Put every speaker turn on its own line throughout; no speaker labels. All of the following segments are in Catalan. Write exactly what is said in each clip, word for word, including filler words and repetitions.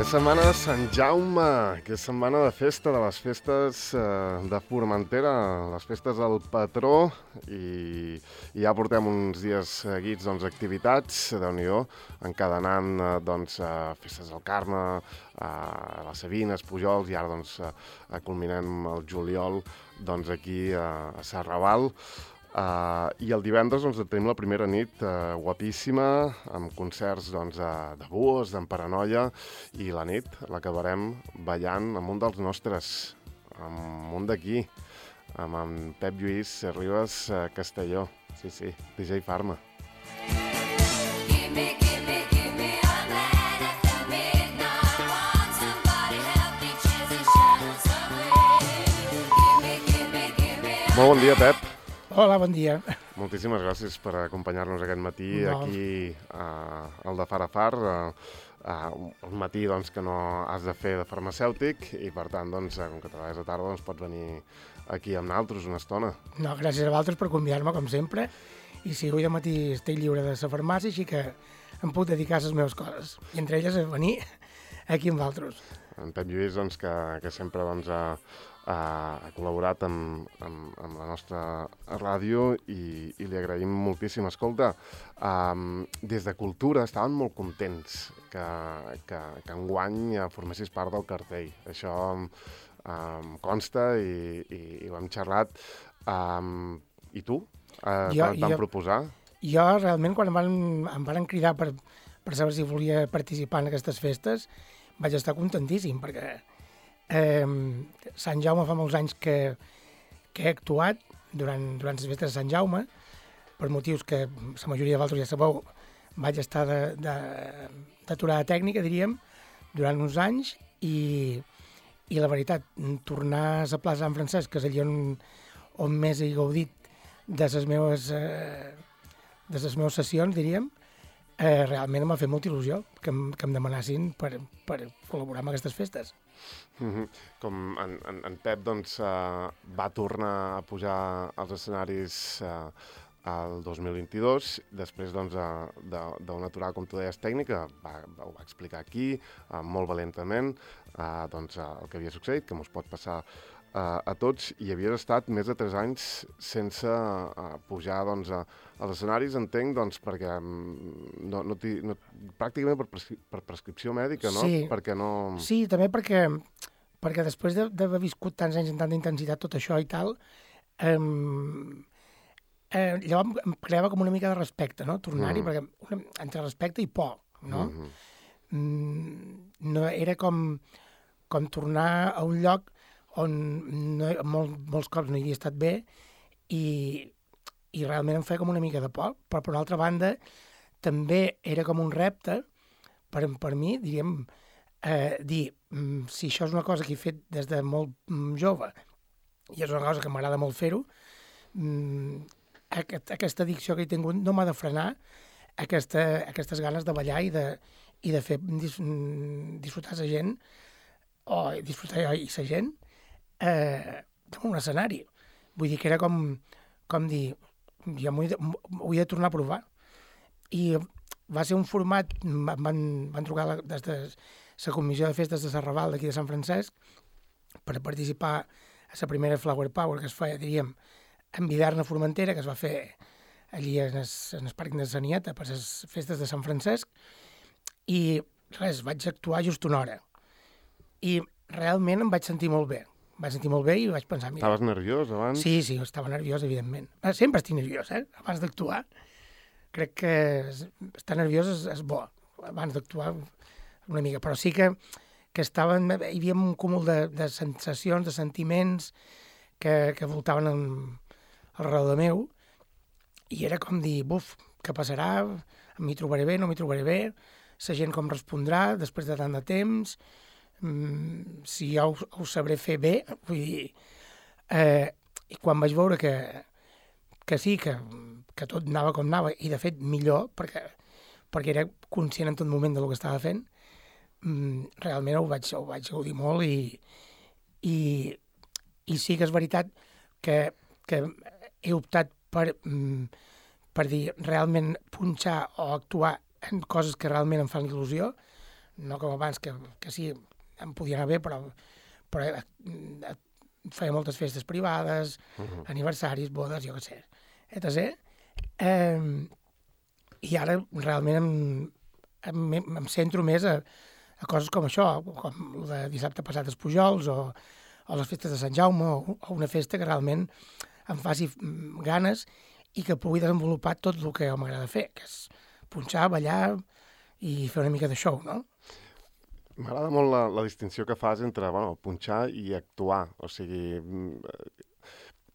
És setmana de Sant Jaume, que és setmana de festa, de les festes eh, de Formentera, les festes del patró, i, i ja portem uns dies seguits doncs, activitats, Déu-n'hi-do, encadenant eh, doncs, eh, festes del Carme, eh, les Sabines, Pujols, i ara doncs, eh, culminem el juliol doncs, aquí eh, a Serrabal. Uh, I el divendres doncs, tenim la primera nit uh, guapíssima, amb concerts doncs, de, de Buos, d'en Paranoia, i la nit l'acabarem ballant amb un dels nostres, amb un d'aquí, amb en Pep Lluís Ribas uh, Castelló. Sí, sí, D J Farma. Molt bon dia, Pep.
Hola, bon dia.
Moltíssimes gràcies per acompanyar-nos aquest matí
no.
aquí uh, al de Far a Far. Uh, uh, un matí doncs, que no has de fer de farmacèutic i, per tant, doncs, com que treballes a tarda, doncs, pots venir aquí amb nosaltres una estona.
No, gràcies a vosaltres per convidar-me, com sempre. I sí, avui de matí estic lliure de la farmàcia, així que em puc dedicar a les meves coses. I entre elles a venir aquí amb vosaltres.
En Pep Lluís, doncs, que, que sempre doncs, ha... Uh, ha col·laborat amb, amb, amb la nostra ràdio i, i li agraïm moltíssim. Escolta, um, des de Cultura estaven molt contents que, que, que enguany formessis part del cartell. Això um, um, consta i, i, i ho hem xerrat. Um, I tu? Uh, jo, et van jo, proposar?
Jo, realment, quan em van, em van cridar per, per saber si volia participar en aquestes festes, vaig estar contentíssim, perquè Eh, Sant Jaume fa molts anys que, que he actuat durant, durant les festes de Sant Jaume, per motius que la majoria de vosaltres ja sabeu, vaig estar d'aturada tècnica, diríem, durant uns anys, i, i la veritat, tornar a la plaça Sant Francesc, que és allà on, on més he gaudit de les meves, eh, de les meves sessions, diríem, eh, realment m'ha fet molta il·lusió que em, que em demanassin per, per col·laborar amb aquestes festes.
Mm-hmm. Com en, en, en Pep doncs, uh, va tornar a pujar als escenaris uh, el dos mil vint-i-dos, després doncs, uh, d'una aturada, com tu deies, tècnica, va, va, ho va explicar aquí, uh, molt valentament, uh, doncs, uh, el que havia succeït, que mos pot passar uh, a tots, i havia estat més de tres anys sense uh, pujar doncs, a, als escenaris, entenc, doncs, perquè no, no, no, pràcticament per, prescri per prescripció mèdica, no?
Sí,
perquè no...
sí, també perquè, perquè després d'haver viscut tants anys en tanta intensitat tot això i tal, eh, eh, llavors em creava com una mica de respecte, no? Tornar-hi, mm. perquè una, entre respecte i por, no? Mm-hmm. mm, no era com, com tornar a un lloc on no, molt, molts cops no hi havia estat bé i, i realment em feia com una mica de por, però per una altra banda també era com un repte per, per mi, diríem, eh, dir, si això és una cosa que he fet des de molt jove i és una cosa que m'agrada molt fer-ho, aquest, aquesta addicció que he tingut no m'ha de frenar aquesta, aquestes ganes de ballar i de, i de fer dis, disfrutar la gent o disfrutar jo i la gent eh, d'un escenari. Vull dir que era com, com dir, jo m'ho he, he de tornar a provar. I va ser un format, van, van trucar la, des de la comissió de festes de Serrabal d'aquí de Sant Francesc per participar a la primera Flower Power que es feia, diríem, en Vidarna Formentera, que es va fer allí en el, en el Parc de Sanieta per les festes de Sant Francesc, i res, vaig actuar just una hora. I realment em vaig sentir molt bé. Em vaig sentir molt bé i vaig pensar... Mira,
estaves nerviós abans?
Sí, sí, estava nerviós, evidentment. Sempre estic nerviós, eh? Abans d'actuar. Crec que estar nerviós és, és bo, abans d'actuar una mica, però sí que, que estaven, hi havia un cúmul de, de sensacions, de sentiments que, que voltaven al, al redador meu, i era com dir, buf, què passarà? M'hi trobaré bé, no m'hi trobaré bé? La gent com respondrà després de tant de temps? Mm, si jo ho, ho sabré fer bé? Vull dir, eh, i quan vaig veure que, que sí, que, que tot anava com anava, i de fet millor, perquè, perquè era conscient en tot moment del que estava fent, mm, realment ho vaig, ho vaig gaudir molt i, i, i sí que és veritat que, que he optat per, mm, per dir realment punxar o actuar en coses que realment em fan il·lusió, no com abans, que, que sí, em podia anar bé, però, però eh, feia moltes festes privades, uh -huh. aniversaris, bodes, jo què sé, etcètera. Eh, I ara realment em, em, em centro més a, a coses com això, com el de dissabte passat als Pujols, o, o les festes de Sant Jaume, o, o una festa que realment em faci ganes i que pugui desenvolupar tot el que m'agrada fer, que és punxar, ballar i fer una mica de show, no?
M'agrada molt la, la distinció que fas entre, bueno, punxar i actuar. O sigui,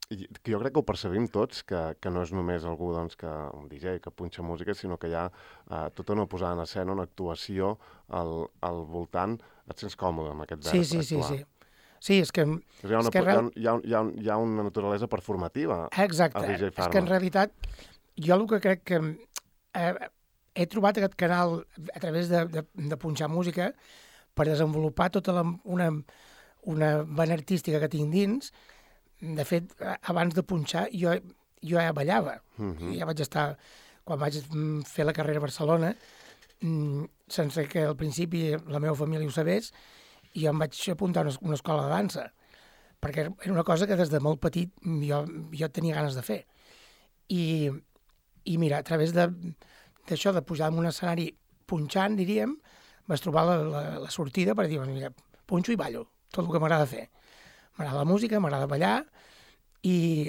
jo crec que ho percebim tots, que, que no és només algú, doncs, que un D J que punxa música, sinó que hi ha eh, tota una posada en escena, una actuació al, al voltant. Et sents còmode amb aquest verb?
Sí, sí, sí, sí. Sí, és que...
Hi ha una,
és que real...
hi ha, hi ha, hi ha una naturalesa performativa.
Exacte.
Al D J Pharma.
És que en realitat jo el que crec que eh, he trobat aquest canal a través de, de, de punxar música per desenvolupar tota la, una, una vena artística que tinc dins. De fet, abans de punxar jo, jo ja ballava. Uh-huh. Ja vaig estar, quan vaig fer la carrera a Barcelona, sense que al principi la meva família ho sabés, jo em vaig apuntar a una, una escola de dansa, perquè era una cosa que des de molt petit jo, jo tenia ganes de fer. I, i mira, a través d'això, de, de pujar en un escenari punxant, diríem, vaig trobar la, la, la sortida per dir, mira, punxo i ballo, tot el que m'agrada fer. M'agrada la música, m'agrada ballar, i,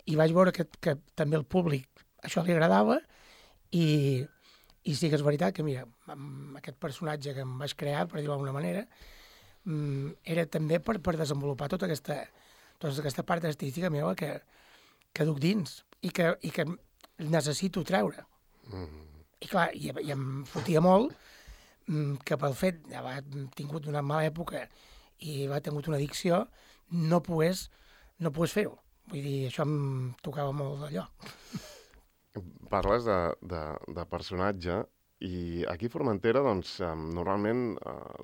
i vaig veure que, que també el públic això li agradava, i, i sí que és veritat que, mira, amb aquest personatge que em vaig crear, per dir-ho d'alguna manera, era també per, per desenvolupar tota aquesta, tota aquesta part artística meva que, que duc dins i que, i que necessito treure. Mm. I clar, i, i em fotia molt que pel fet d'haver tingut una mala època i haver tingut una addicció, no pogués, no pogués fer-ho. Vull dir, això em tocava molt d'allò.
Parles de, de, de personatge, i aquí a Formentera, doncs, normalment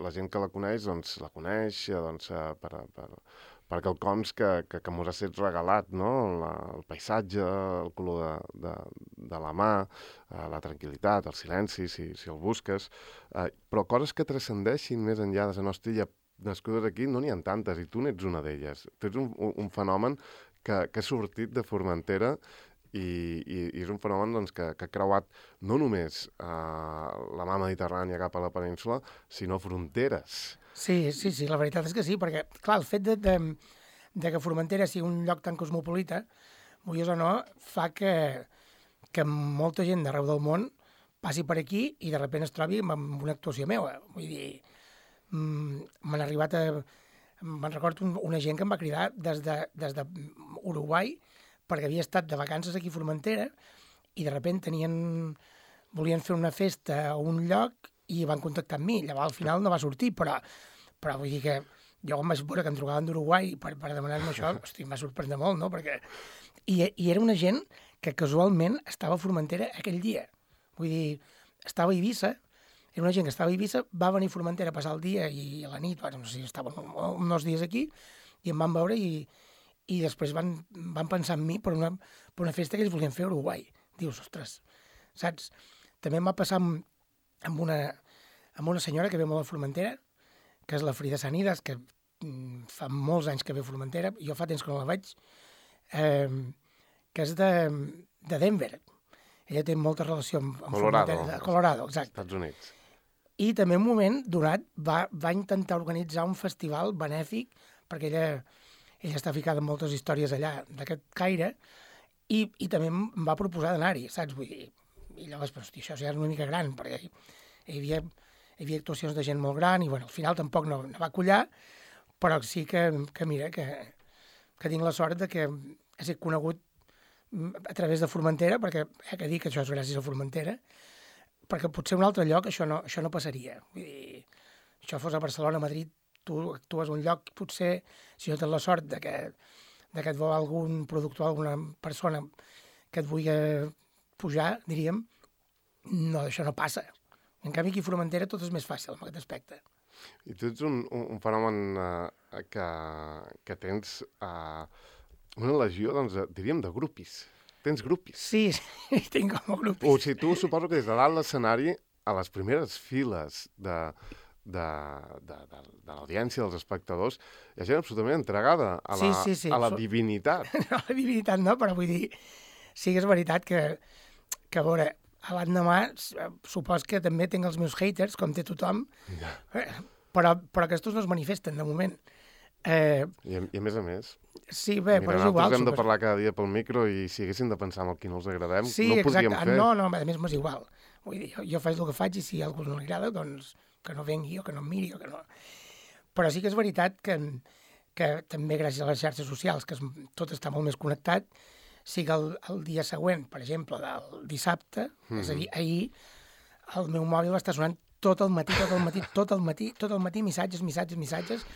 la gent que la coneix, doncs, la coneix doncs, per, per, per quelcoms que, que, que mos ha set regalat, no? La, el paisatge, el color de, de, de la mà, la tranquil·litat, el silenci, si, si el busques, però coses que transcendeixin més enllà de la nostra illa nascudes aquí no n'hi ha tantes, i tu n'ets una d'elles. Tu ets un, un fenomen que, que ha sortit de Formentera, I, i, i és un fenomen doncs, que, que ha creuat no només eh, la mà mediterrània cap a la península, sinó fronteres.
Sí, sí, sí, la veritat és que sí, perquè, clar, el fet de, de, de que Formentera sigui un lloc tan cosmopolita, vulguis o no, fa que, que molta gent d'arreu del món passi per aquí i de sobte es trobi amb una actuació meva. Vull dir, m'han arribat a... Me'n recordo un, una gent que em va cridar des de, des de Uruguai, perquè havia estat de vacances aquí a Formentera i de sobte tenien, volien fer una festa a un lloc i van contactar amb mi. Llavors al final no va sortir, però, però vull dir que jo quan vaig veure que em trucaven d'Uruguai per, per demanar-me això, hosti, em va sorprendre molt, no? Perquè... I, I era una gent que casualment estava a Formentera aquell dia. Vull dir, estava a Eivissa, era una gent que estava a Eivissa, va venir a Formentera a passar el dia i a la nit, bueno, no sé si estaven uns dies aquí, i em van veure i i després van, van pensar en mi per una, per una festa que ells volien fer a Uruguai. Dius, ostres, saps? També em va passar amb, amb, una, amb una senyora que ve molt a Formentera, que és la Frida Sanidas, que mm, fa molts anys que ve a Formentera, jo fa temps que no la veig, eh, que és de, de Denver. Ella té molta relació amb, amb
Colorado.
Formentera. Colorado, exacte.
Estats Units.
I també en un moment donat va, va intentar organitzar un festival benèfic, perquè ella... ella està ficada en moltes històries allà d'aquest caire, i, i també em va proposar d'anar-hi, saps? Vull dir, i llavors, però, hosti, això ja és una mica gran, perquè hi havia, hi havia actuacions de gent molt gran, i bueno, al final tampoc no, no va collar, però sí que, que mira, que, que tinc la sort de que he estat conegut a través de Formentera, perquè he de dir que això és gràcies a Formentera, perquè potser un altre lloc això no, això no passaria. Vull dir, això fos a Barcelona, a Madrid, tu actues a un lloc, potser, si no tens la sort de que, de que et vol algun productor, alguna persona que et vulgui pujar, diríem, no, això no passa. En canvi, aquí a Formentera tot és més fàcil en aquest aspecte.
I tu ets un, un, un fenomen uh, que, que tens uh, una legió, doncs, diríem, de grupis. Tens grupis.
Sí, sí, tinc com a grupis.
O sigui, tu suposo que des de dalt l'escenari, a les primeres files de... de, de, de, de l'audiència, dels espectadors, hi ha gent absolutament entregada a la,
sí, sí, sí.
a la divinitat.
No, a la divinitat no, però vull dir, sí que és veritat que, que a veure, a l'endemà supos que també tinc els meus haters, com té tothom,
Ja.
però, però aquests no es manifesten de moment. Eh,
I, a, I a més a més,
sí, bé,
mira,
però és igual.
nosaltres hem de
supos...
parlar cada dia pel micro i si haguéssim de pensar en el qui no els agradem,
sí,
no ho podríem
exacte.
fer.
No, no, a més m'és igual. Vull dir, jo, jo faig el que faig i si a algú no li agrada, doncs que no vengui o que no em miri o que no... Però sí que és veritat que, que també gràcies a les xarxes socials, que es, tot està molt més connectat, sí que el, el dia següent, per exemple, del dissabte, mm-hmm. és a dir, ahir, el meu mòbil va estar sonant tot el matí, tot el matí, tot el matí, tot el matí, missatges, missatges, missatges,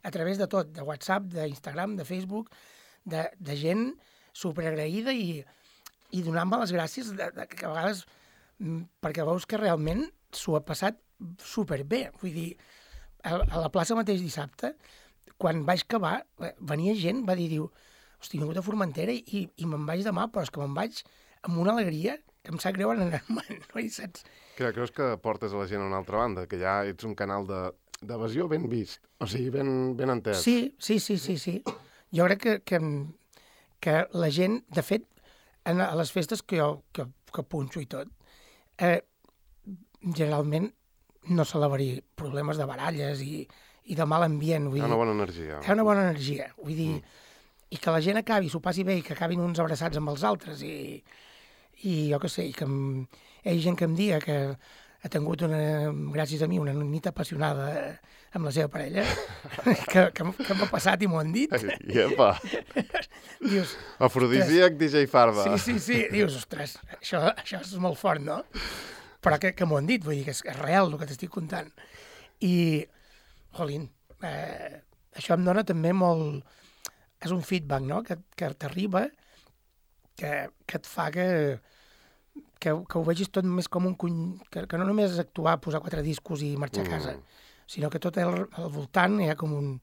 a través de tot, de WhatsApp, d'Instagram, de Facebook, de, de gent superagraïda i, i donant-me les gràcies de, de, que a vegades, perquè veus que realment s'ho ha passat superbé. Vull dir, a, a la plaça mateix dissabte, quan vaig acabar, venia gent, va dir, diu, hosti, he vingut a Formentera i, i me'n vaig demà, però és que me'n vaig amb una alegria que em sap greu anar-me'n, no hi saps?
Que creus que portes a la gent a una altra banda, que ja ets un canal de d'evasió ben vist, o sigui, ben, ben entès.
Sí, sí, sí, sí, sí. Jo crec que, que, que la gent, de fet, en, a les festes que jo que, que punxo i tot, eh, generalment no sol haver-hi problemes de baralles i, i de mal ambient. Vull
Hi ha
dir,
una bona energia.
Hi ha una bona energia. Vull dir,
Mm.
i que la gent acabi, s'ho passi bé i que acabin uns abraçats amb els altres i, i jo què sé, i que em, hi ha gent que em diga que ha tingut, una, gràcies a mi, una nit apassionada amb la seva parella, que, que, que m'ha passat i m'ho han dit.
Iepa!
Dius,
Afrodisíac D J Farba.
sí, sí, sí. Dius, ostres, això, això és molt fort, no? Però que, que m'ho han dit, vull dir que és, és real el que t'estic contant. I, jolín, eh, això em dona també molt... És un feedback, no?, que, que t'arriba, que, que et fa que... Que, que ho vegis tot més com un cuny... Que, que no només és actuar, posar quatre discos i marxar a casa, mm. sinó que tot al, al voltant hi ha com, un,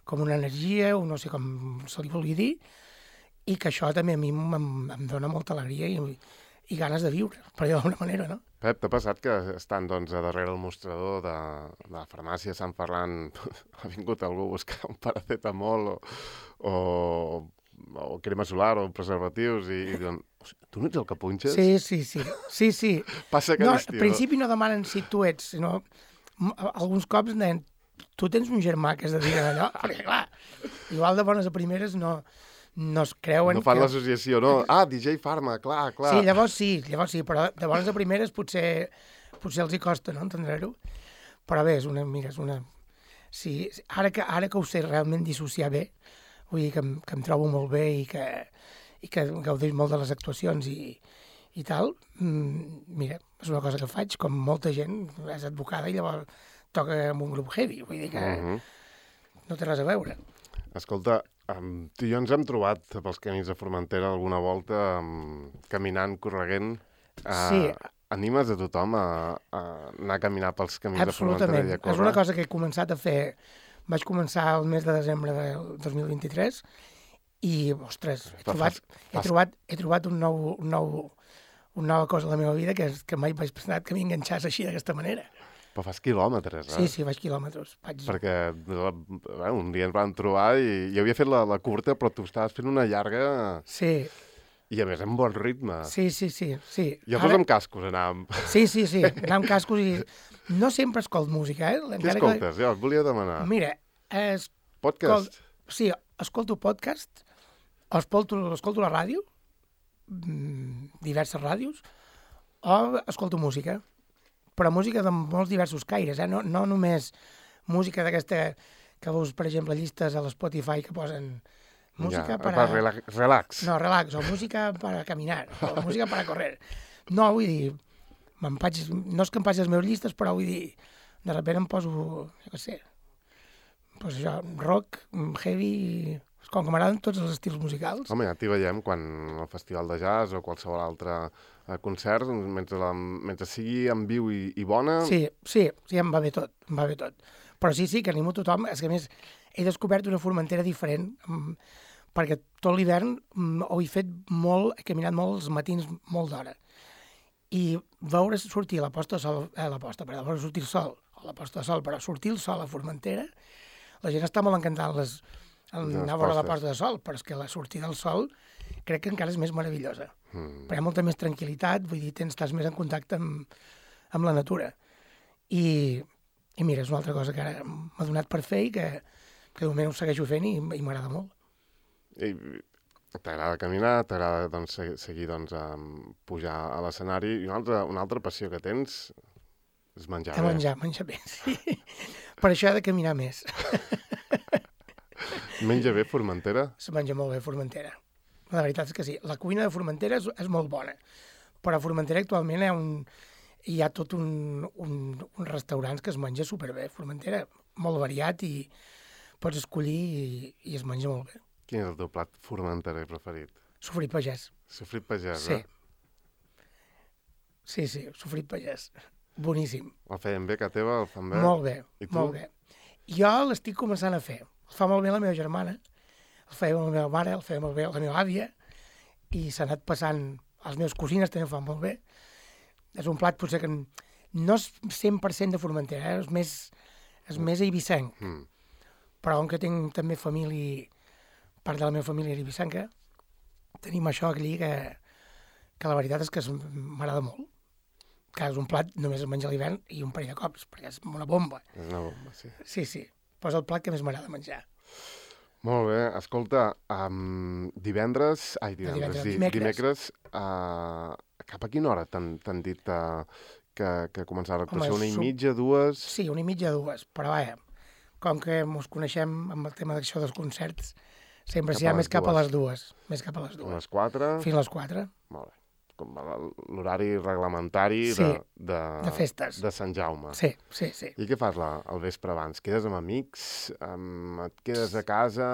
com una energia, o no sé com se li vulgui dir, i que això també a mi em, em dona molta alegria i, i ganes de viure, per dir d'alguna manera, no?
Pep, t'ha passat que estan, doncs, a darrere el mostrador de, de la farmàcia Sant Ferran ha vingut algú a buscar un paracetamol o, o, o crema solar o preservatius i, i diuen, tu no ets el que punxes?
Sí, sí, sí. sí, sí.
Passa
no,
aquest estiu.
Al principi no demanen si tu ets, sinó alguns cops deien, tu tens un germà que es dedica a allò, perquè clar, igual de bones a primeres no, no es creuen...
No fan
que...
l'associació, no? Ah, D J Farma, clar, clar.
Sí, llavors sí, llavors sí, però de bones a primeres potser, potser els hi costa, no?, entendre-ho. Però bé, és una... Mira, és una... Sí, ara que, ara que ho sé realment dissociar bé, vull dir que em, que em trobo molt bé i que, i que gaudeix molt de les actuacions i, i tal, mm, mira, és una cosa que faig, com molta gent, és advocada i llavors toca amb un grup heavy, vull dir que uh-huh. no té res a veure.
Escolta, um, tu i jo ens hem trobat pels camins de Formentera alguna volta, um, caminant, correguent. Uh,
sí.
Animes a tothom a, a anar a caminar pels camins de Formentera i a córrer?
És una cosa que he començat a fer. Vaig començar el mes de desembre del dos mil vint-i-tres i, ostres, he trobat, he trobat, he trobat un nou, un nou, una nova cosa a la meva vida que, és, que mai vaig pensar que m'enganxàs així d'aquesta manera.
Però fas quilòmetres, eh?
Sí, sí, vaig quilòmetres. Vaig...
Perquè bueno, un dia ens vam trobar i jo havia fet la, la curta, però tu estaves fent una llarga...
Sí.
I a més amb bon ritme.
Sí, sí, sí. sí.
Llavors Ara... amb cascos anàvem.
Sí, sí, sí, anàvem amb cascos i... No sempre escolto música, eh?
Què escoltes? Que... Ja, et volia demanar.
Mira, es...
Podcast?
Sí, escolto podcast, escolto, escolto la ràdio, diverses ràdios, o escolto música, però música de molts diversos caires, eh? No, no només música d'aquesta que veus, per exemple, llistes a l'Spotify que posen música
ja,
para...
para... Relax.
No, relax, o música para caminar, o música para correr. No, vull dir, faig... no és que em passi les meves llistes, però vull dir, de sobte em poso, jo què sé, pues això, rock, heavy, com que m'agraden tots els estils musicals.
Home, ja t'hi veiem quan al festival de jazz o qualsevol altre concert, mentre, la, mentre sigui en viu i, i bona...
Sí, sí, sí, em va bé tot, em va bé tot. Però sí, sí, que animo tothom, és que a més he descobert una Formentera diferent, perquè tot l'hivern ho he fet molt, he caminat molt els matins molt d'hora. I veure sortir la posta de sol, eh, la posta, però veure sortir el sol, o la posta de sol, però sortir el sol a Formentera, la gent està molt encantada les, el anar a veure la posta de sol, però és que la sortida del sol crec que encara és més meravellosa. Mm. Però hi ha molta més tranquil·litat, vull dir, tens, estàs més en contacte amb, amb la natura. I, I mira, és una altra cosa que ara m'ha donat per fer i que, que de moment ho segueixo fent i, i m'agrada molt.
I t'agrada caminar, t'agrada doncs, seguir doncs, um, pujar a l'escenari, i una altra, una altra passió que tens és menjar
de
bé.
Menjar, menjar bé, sí. Per això he de caminar més.
Menja bé Formentera?
Se menja molt bé Formentera. La veritat és que sí. La cuina de Formentera és, és molt bona, però a Formentera actualment hi ha, un, hi ha tot un, un, un restaurants que es menja superbé. Formentera, molt variat i pots escollir i, i es menja molt bé.
Quin és el teu plat formenterer preferit?
Sofrit pagès.
Sofrit pagès,
sí.
eh?
Sí, sí, sofrit pagès. Boníssim.
El feien bé, que teva? El fan bé?
Molt bé,
I tu?
molt bé. Jo l'estic començant a fer. El fa molt bé la meva germana, el feia la meva mare, el feia molt bé la meva àvia, i s'ha anat passant, els meus cosines també ho fan molt bé. És un plat potser que no és cent per cent de Formentera, eh? és més, és més eivissenc. Mm. Però com que tinc també família, part de la meva família és eivissenca, tenim això aquí que, que la veritat és que m'agrada molt. Que és un plat només es menja a l'hivern i un parell de cops, perquè és una bomba.
És una bomba, sí.
Sí, sí. Però és el plat que més m'agrada menjar.
Molt bé. Escolta, um, divendres... Ai, divendres,
divendres
di,
dimecres.
dimecres uh, cap a quina hora t'han dit uh, que, que començava l'actuació? Una i
som...
mitja, dues?
Sí, una i mitja, dues. Però vaja, com que ens coneixem amb el tema d'això dels concerts, sempre s'hi ha més cap a les dues. Més cap a les dues.
A les quatre?
Fins a les quatre.
Molt bé. Com l'horari reglamentari
sí,
de, de,
de festes.
De Sant Jaume.
Sí, sí, sí.
I què fas la, el vespre abans? Quedes amb amics? Um, et quedes a casa?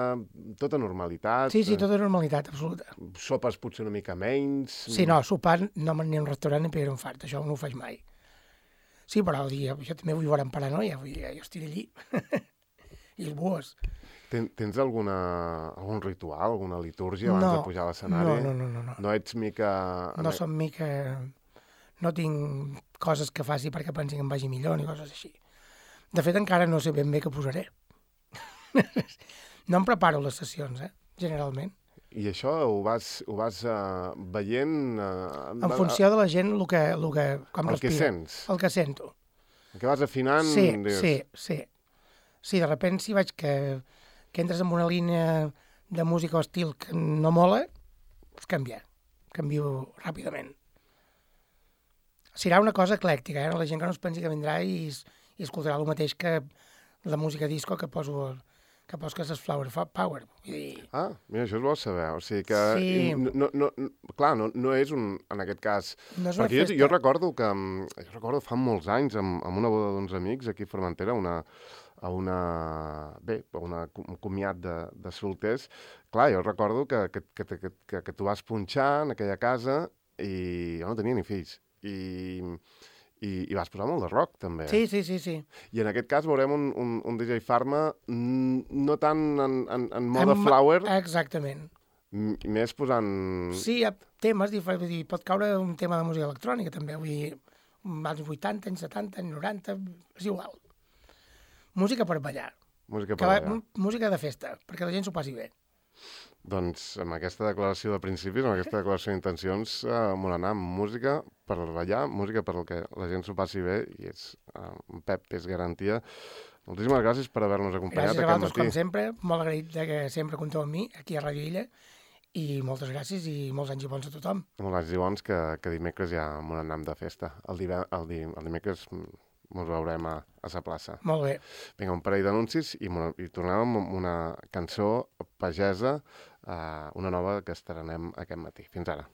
Tota normalitat?
Sí, sí, tota normalitat, absoluta.
Sopes potser una mica menys?
Sí, no, sopar no m'aniré a un restaurant ni pedir un fart, això no ho faig mai. Sí, però el dia, jo també vull veure en paranoia, vull dir, jo estic allí. I els bues.
Ten, tens alguna, algun ritual, alguna litúrgia abans
no,
de pujar a l'escenari?
No, no, no, no, no.
No ets mica...
No som mica... No tinc coses que faci perquè pensi que em vagi millor ni coses així. De fet, encara no sé ben bé què posaré. No em preparo les sessions, eh, generalment.
I això ho vas, ho vas uh, veient... Uh,
en funció de la gent, el que, el que, com
el
respira.
El que sents.
El que sento.
El que vas afinant...
Sí,
dius...
sí, sí. Sí, de repent si veig que... que entres en una línia de música o estil que no mola, pues canviar. Canvio ràpidament. Serà una cosa eclèctica, eh? La gent que no es pensi que vindrà i, i escoltarà el mateix que la música disco que poso, que poso que és Flower Power. I...
Ah, mira, això és bo saber. O sigui que...
Sí.
No, no, no, clar, no, no és un, en aquest cas...
No és una
perquè
festa.
jo, jo recordo que... Jo recordo fa molts anys, amb, amb una boda d'uns amics aquí a Formentera, una... a una, bé, a una, un comiat de, de solters, clar, jo recordo que, que, que, que, que, que tu vas punxar en aquella casa i jo no tenia ni fills. I, i, i vas posar molt de rock, també.
Sí, sí, sí, sí.
I en aquest cas veurem un, un, un D J Pharma no tant en, en, en mode
en,
flower,
exactament.
més posant...
Sí, hi ha temes diferents, vull dir, pot caure un tema de música electrònica, també, vull dir, als vuitanta, anys setanta, anys noranta, és igual. Música per ballar.
Música per
que
ballar.
Va, música de festa, perquè la gent s'ho passi bé.
Doncs amb aquesta declaració de principis, amb aquesta declaració d'intencions, eh, molt anar amb música per ballar, música per el que la gent s'ho passi bé, i és, eh, un Pep és garantia. Moltíssimes gràcies per haver-nos acompanyat
gràcies
aquest
a vosaltres,
matí.
com sempre, molt agraït de que sempre compteu amb mi, aquí a Ràdio Illa, i moltes gràcies i molts anys i bons a tothom.
Molts anys i bons, que, que dimecres ja m'ho anem de festa. El, dive, el, di, el dimecres ens veurem a, a sa plaça.
Molt bé.
Vinga, un parell d'anuncis i, i tornem amb una cançó pagesa, eh, una nova que estrenem aquest matí. Fins ara.